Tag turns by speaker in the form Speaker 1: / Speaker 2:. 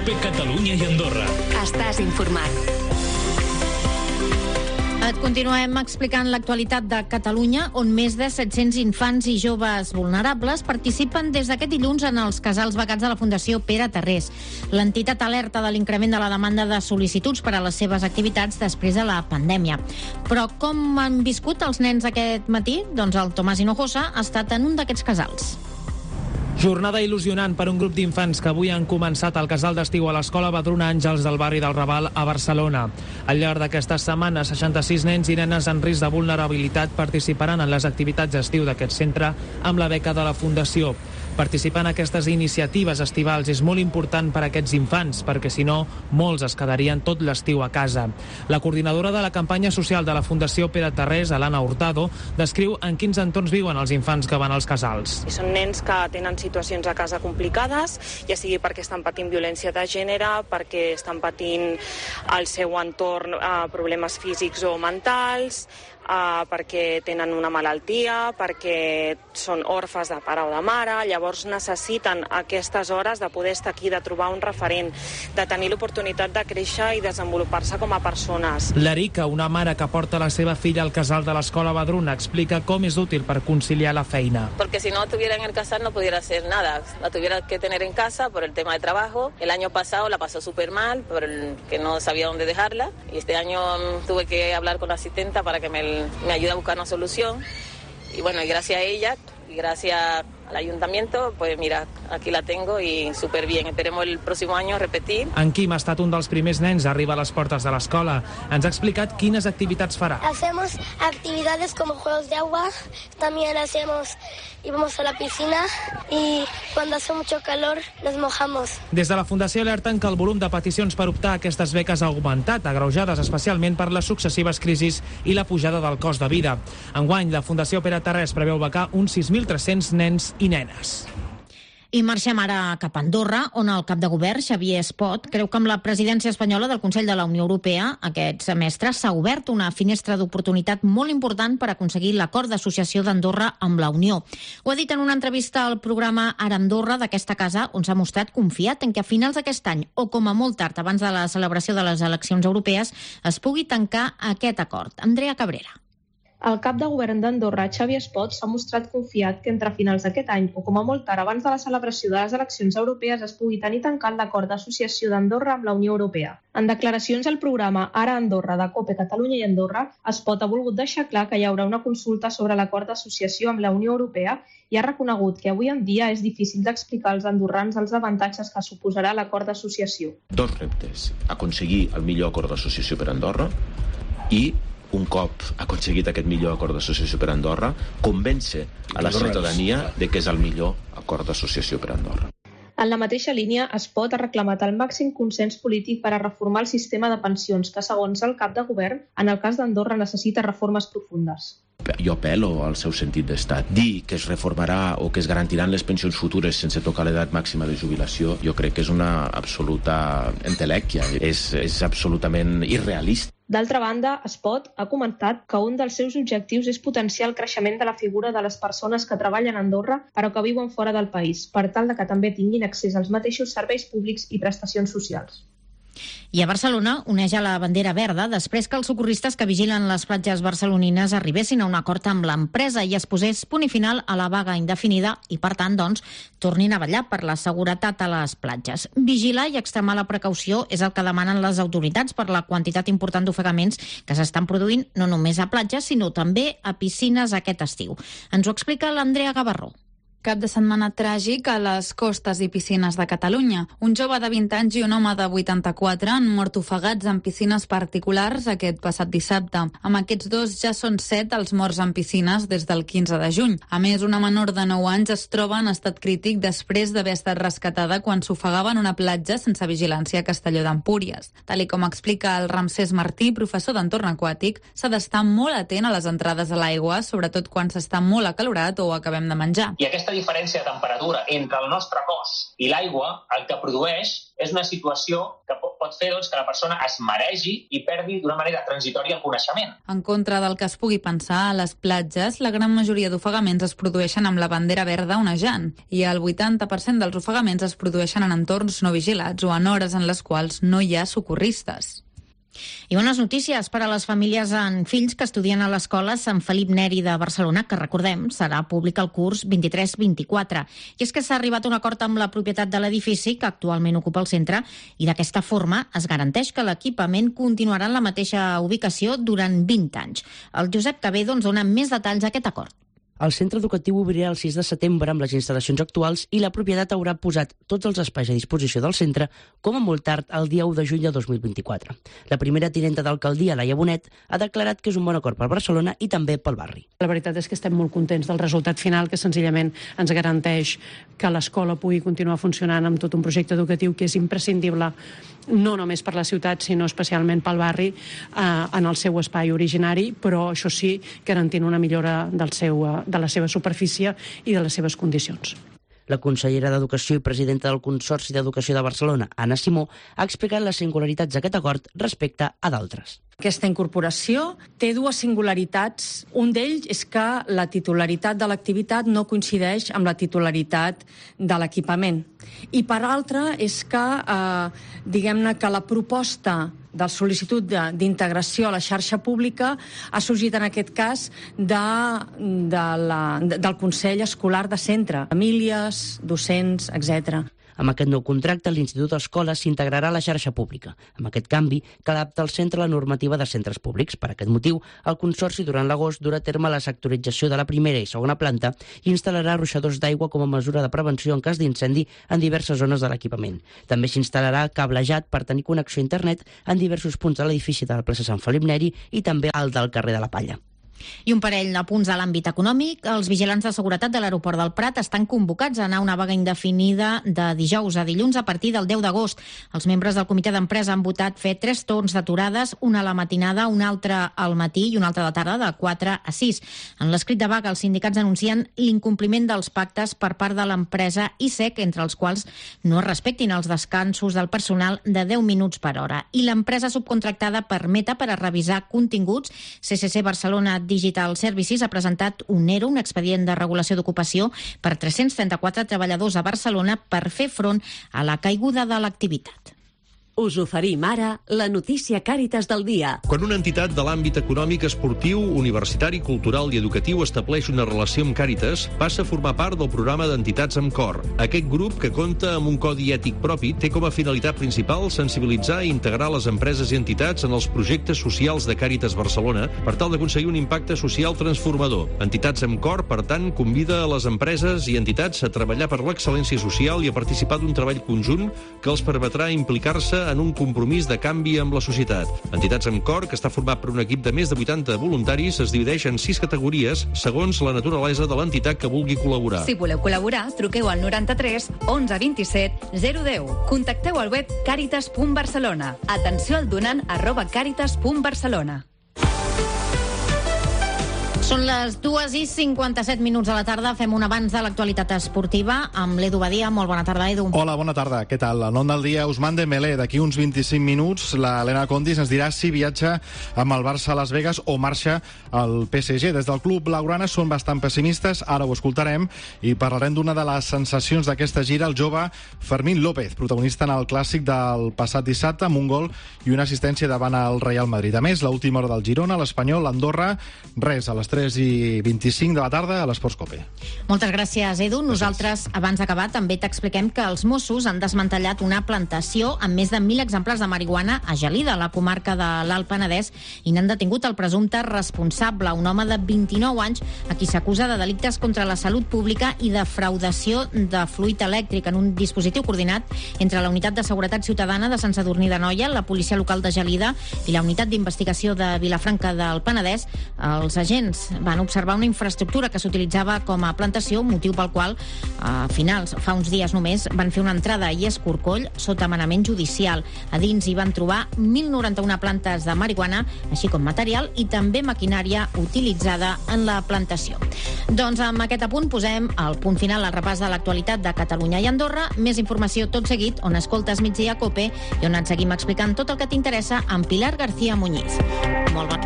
Speaker 1: COPE Catalunya i Andorra.
Speaker 2: Estàs informat.
Speaker 3: Et continuem explicant l'actualitat de Catalunya, on més de 700 infants i joves vulnerables participen des d'aquest dilluns en els casals becats de la Fundació Pere Tarrés. L'entitat alerta de l'increment de la demanda de sol·licituds per a les seves activitats després de la pandèmia. Però com han viscut els nens aquest matí? Doncs el Tomàs Hinojosa ha estat en un d'aquests casals.
Speaker 4: Jornada il·lusionant per un grup d'infants que avui han començat el casal d'estiu a l'Escola Badruna Àngels del barri del Raval a Barcelona. Al llarg d'aquestes setmanes, 66 nens i nenes en risc de vulnerabilitat participaran en les activitats d'estiu d'aquest centre amb la beca de la Fundació. Participar en aquestes iniciatives estivals és molt important per a aquests infants, perquè si no, molts es quedarien tot l'estiu a casa. La coordinadora de la campanya social de la Fundació Pere Tarrés, Alana Hurtado, descriu en quins entorns viuen els infants que van als casals.
Speaker 5: Són nens que tenen situacions a casa complicades, ja sigui perquè estan patint violència de gènere, perquè estan patint al seu entorn problemes físics o mentals, perquè tenen una malaltia, perquè són orfes de pare o de mare. Llavors necessiten aquestes hores de poder estar aquí, de trobar un referent, de tenir l'oportunitat de créixer i desenvolupar-se com a persones.
Speaker 4: L'Erica, una mare que porta la seva filla al casal de l'Escola Badruna, explica com és útil per conciliar la feina.
Speaker 6: Porque si no estuviera en el casal no pudiera hacer nada, la tuviera que tener en casa por el tema de trabajo. El año pasado la pasó súper mal, porque no sabía dónde dejarla, y este año tuve que hablar con la asistenta para que me ayude a buscar una solución, y bueno, y gracias a ella y gracias al ayuntamiento, pues mira, aquí la tengo y súper bien. Esperemos el próximo año repetir.
Speaker 4: En Quim ha estat un dels primers nens a arribar a les portes de l'escola. Ens ha explicat quines activitats farà.
Speaker 7: Hacemos actividades como juegos de agua, también íbamos a la piscina y cuando hace mucho calor nos mojamos.
Speaker 4: Des de la Fundació alerten que el volum de peticions per optar a aquestes beques ha augmentat, agreujades especialment per les successives crisis i la pujada del cost de vida. Enguany, la Fundació Pere Tarrés preveu becar uns 6.300 nens i nenes.
Speaker 3: I marxem ara cap a Andorra, on el cap de govern, Xavier Espot, creu que amb la presidència espanyola del Consell de la Unió Europea aquest semestre s'ha obert una finestra d'oportunitat molt important per aconseguir l'acord d'associació d'Andorra amb la Unió. Ho ha dit en una entrevista al programa Ara Andorra d'aquesta casa, on s'ha mostrat confiat en que a finals d'aquest any, o com a molt tard abans de la celebració de les eleccions europees, es pugui tancar aquest acord. Andrea Cabrera.
Speaker 8: El cap de govern d'Andorra, Xavier Espot, s'ha mostrat confiat que entre finals d'aquest any o com a molt tard abans de la celebració de les eleccions europees es pugui tenir tancat l'acord d'associació d'Andorra amb la Unió Europea. En declaracions al programa Ara Andorra de COPE Catalunya i Andorra, Espot ha volgut deixar clar que hi haurà una consulta sobre l'acord d'associació amb la Unió Europea i ha reconegut que avui en dia és difícil d'explicar als andorrans els avantatges que suposarà l'acord d'associació.
Speaker 9: Dos reptes: aconseguir el millor acord d'associació per a Andorra i un cop aconseguit aquest millor acord d'associació per a Andorra, convèncer a la ciutadania de que és el millor acord d'associació per a Andorra.
Speaker 8: En la mateixa línia, Espot ha reclamat el màxim consens polític per a reformar el sistema de pensions, que, segons el cap de govern, en el cas d'Andorra necessita reformes profundes.
Speaker 9: Jo apel·lo al seu sentit d'estat. Dir que es reformarà o que es garantiran les pensions futures sense tocar l'edat màxima de jubilació, jo crec que és una absoluta entelèquia. És absolutament irrealista.
Speaker 8: D'altra banda, Espot ha comentat que un dels seus objectius és potenciar el creixement de la figura de les persones que treballen a Andorra però que viuen fora del país, per tal de que també tinguin accés als mateixos serveis públics i prestacions socials.
Speaker 3: I a Barcelona oneja la bandera verda després que els socorristes que vigilen les platges barcelonines arribessin a un acord amb l'empresa i es posés punt i final a la vaga indefinida i, per tant, doncs, tornin a vetllar per la seguretat a les platges. Vigilar i extremar la precaució és el que demanen les autoritats per la quantitat important d'ofegaments que s'estan produint no només a platges, sinó també a piscines aquest estiu. Ens ho explica l'Andrea Gavarró.
Speaker 10: Cap de setmana tràgic a les costes i piscines de Catalunya. Un jove de 20 anys i un home de 84 han mort ofegats en piscines particulars aquest passat dissabte. Amb aquests dos ja són 7 els morts en piscines des del 15 de juny. A més, una menor de 9 anys es troba en estat crític després d'haver estat rescatada quan s'ofegava en una platja sense vigilància a Castelló d'Empúries. Tal com explica el Ramsès Martí, professor d'entorn aquàtic, s'ha d'estar molt atent a les entrades a l'aigua, sobretot quan s'està molt acalorat o acabem de menjar.
Speaker 11: I aquesta
Speaker 1: diferència de temperatura entre el nostre cos i l'aigua, el que produeix és una situació que pot fer que la persona es maregi i perdi d'una manera transitòria el coneixement.
Speaker 10: En contra del que es pugui pensar, a les platges la gran majoria d'ofegaments es produeixen amb la bandera verda onejant i el 80% dels ofegaments es produeixen en entorns no vigilats o en hores en les quals no hi ha socorristes.
Speaker 3: I bones notícies per a les famílies amb fills que estudien a l'escola Sant Felip Neri de Barcelona, que recordem serà públic el curs 23-24. I és que s'ha arribat a un acord amb la propietat de l'edifici que actualment ocupa el centre i d'aquesta forma es garanteix que l'equipament continuarà en la mateixa ubicació durant 20 anys. El Josep Cabedo ens dona més detalls d'aquest acord.
Speaker 2: El centre educatiu obrirà el 6 de setembre amb les instal·lacions actuals i la propietat haurà posat tots els espais a disposició del centre com a molt tard el dia 1 de juny de 2024. La primera tinenta d'alcaldia, Laia Bonet, ha declarat que és un bon acord per Barcelona i també pel barri.
Speaker 11: La veritat és que estem molt contents del resultat final, que senzillament ens garanteix que l'escola pugui continuar funcionant amb tot un projecte educatiu que és imprescindible no només per la ciutat, sinó especialment pel barri, en el seu espai originari, però això sí, garantint una millora de la seva superfície i de les seves condicions.
Speaker 2: La consellera d'Educació i presidenta del Consorci d'Educació de Barcelona, Anna Simó, ha explicat les singularitats d'aquest acord respecte a d'altres.
Speaker 12: Aquesta incorporació té dues singularitats. Un d'ells és que la titularitat de l'activitat no coincideix amb la titularitat de l'equipament. I per altra és que, diguem-ne que la proposta de sol·licitud d'integració a la xarxa pública ha sorgit en aquest cas del Consell Escolar de Centre, famílies, docents, etc.
Speaker 2: Amb aquest nou contracte, l'Institut Escola s'integrarà a la xarxa pública. Amb aquest canvi, cal adaptar el centre a la normativa de centres públics. Per aquest motiu, el Consorci durant l'agost durà a terme la sectorització de la primera i segona planta i instal·larà ruixadors d'aigua com a mesura de prevenció en cas d'incendi en diverses zones de l'equipament. També s'instal·larà cablejat per tenir connexió a internet en diversos punts de l'edifici de la plaça Sant Felip Neri i també al del carrer de la Palla.
Speaker 3: I un parell de punts a l'àmbit econòmic. Els vigilants de seguretat de l'aeroport del Prat estan convocats a anar a una vaga indefinida de dijous a dilluns a partir del 10 d'agost. Els membres del comitè d'empresa han votat fer 3 torns d'aturades, una a la matinada, una altra al matí i una altra a la tarda, de 4 a 6. En l'escrit de vaga, els sindicats denuncien l'incompliment dels pactes per part de l'empresa ISEC, entre els quals no es respectin els descansos del personal de 10 minuts per hora. I l'empresa subcontractada per Meta per a revisar continguts, CCC Barcelona Digital Services, ha presentat un ERO, un expedient de regulació d'ocupació, per 334 treballadors a Barcelona per fer front a la caiguda de l'activitat.
Speaker 13: Us oferim ara la notícia Càritas del dia.
Speaker 14: Quan una entitat de l'àmbit econòmic, esportiu, universitari, cultural i educatiu estableix una relació amb Càritas, passa a formar part del programa d'entitats amb cor. Aquest grup, que compta amb un codi ètic propi, té com a finalitat principal sensibilitzar i integrar les empreses i entitats en els projectes socials de Càritas Barcelona per tal d'aconseguir un impacte social transformador. Entitats amb cor, per tant, convida a les empreses i entitats a treballar per l'excel·lència social i a participar d'un treball conjunt que els permetrà implicar-se en un compromís de canvi amb la societat. Entitats amb cor, que està format per un equip de més de 80 voluntaris, es divideix en 6 categories segons la naturalesa de l'entitat que vulgui col·laborar.
Speaker 15: Si voleu col·laborar, truqueu al 93 11 27 010. Contacteu al web caritas.barcelona. Atenció al donant @caritas.barcelona.
Speaker 3: Són les 2:57 de la tarda. Fem un avanç de l'actualitat esportiva amb l'Edu Badia. Molt bona tarda, Edu.
Speaker 16: Hola, bona tarda. Què tal? El nom del dia, Ousmane Dembélé. D'aquí uns 25 minuts, l'Helena Condis ens dirà si viatja amb el Barça a Las Vegas o marxa al PSG. Des del club blaugrana són bastant pessimistes, ara ho escoltarem, i parlarem d'una de les sensacions d'aquesta gira, el jove Fermín López, protagonista en el clàssic del passat dissabte, amb un gol i una assistència davant el Real Madrid. A més, l'última hora del Girona, l'Espanyol, l'Andorra, res, a les 3:25 de la tarda a l'Esports Cope.
Speaker 3: Moltes gràcies, Edu. Nosaltres, abans d'acabar, també t'expliquem que els Mossos han desmantellat una plantació amb més de 1.000 exemplars de marihuana a Gelida, a la comarca de l'Alt Penedès, i n'han detingut el presumpte responsable, un home de 29 anys, a qui s'acusa de delictes contra la salut pública i de defraudació de fluid elèctric en un dispositiu coordinat entre la Unitat de Seguretat Ciutadana de Sant Sadurní d'Anoia, la Policia Local de Gelida i la Unitat d'Investigació de Vilafranca del Penedès. Els agents fets van observar una infraestructura que s'utilitzava com a plantació, motiu pel qual a finals, fa uns dies només, van fer una entrada i escorcoll sota manament judicial. A dins hi van trobar 1.091 plantes de marihuana, així com material i també maquinària utilitzada en la plantació. Doncs amb aquest apunt posem el punt final al repàs de l'actualitat de Catalunya i Andorra. Més informació tot seguit, on escoltes Migdia Cope i on et seguim explicant tot el que t'interessa amb Pilar García Muñiz. Molt bon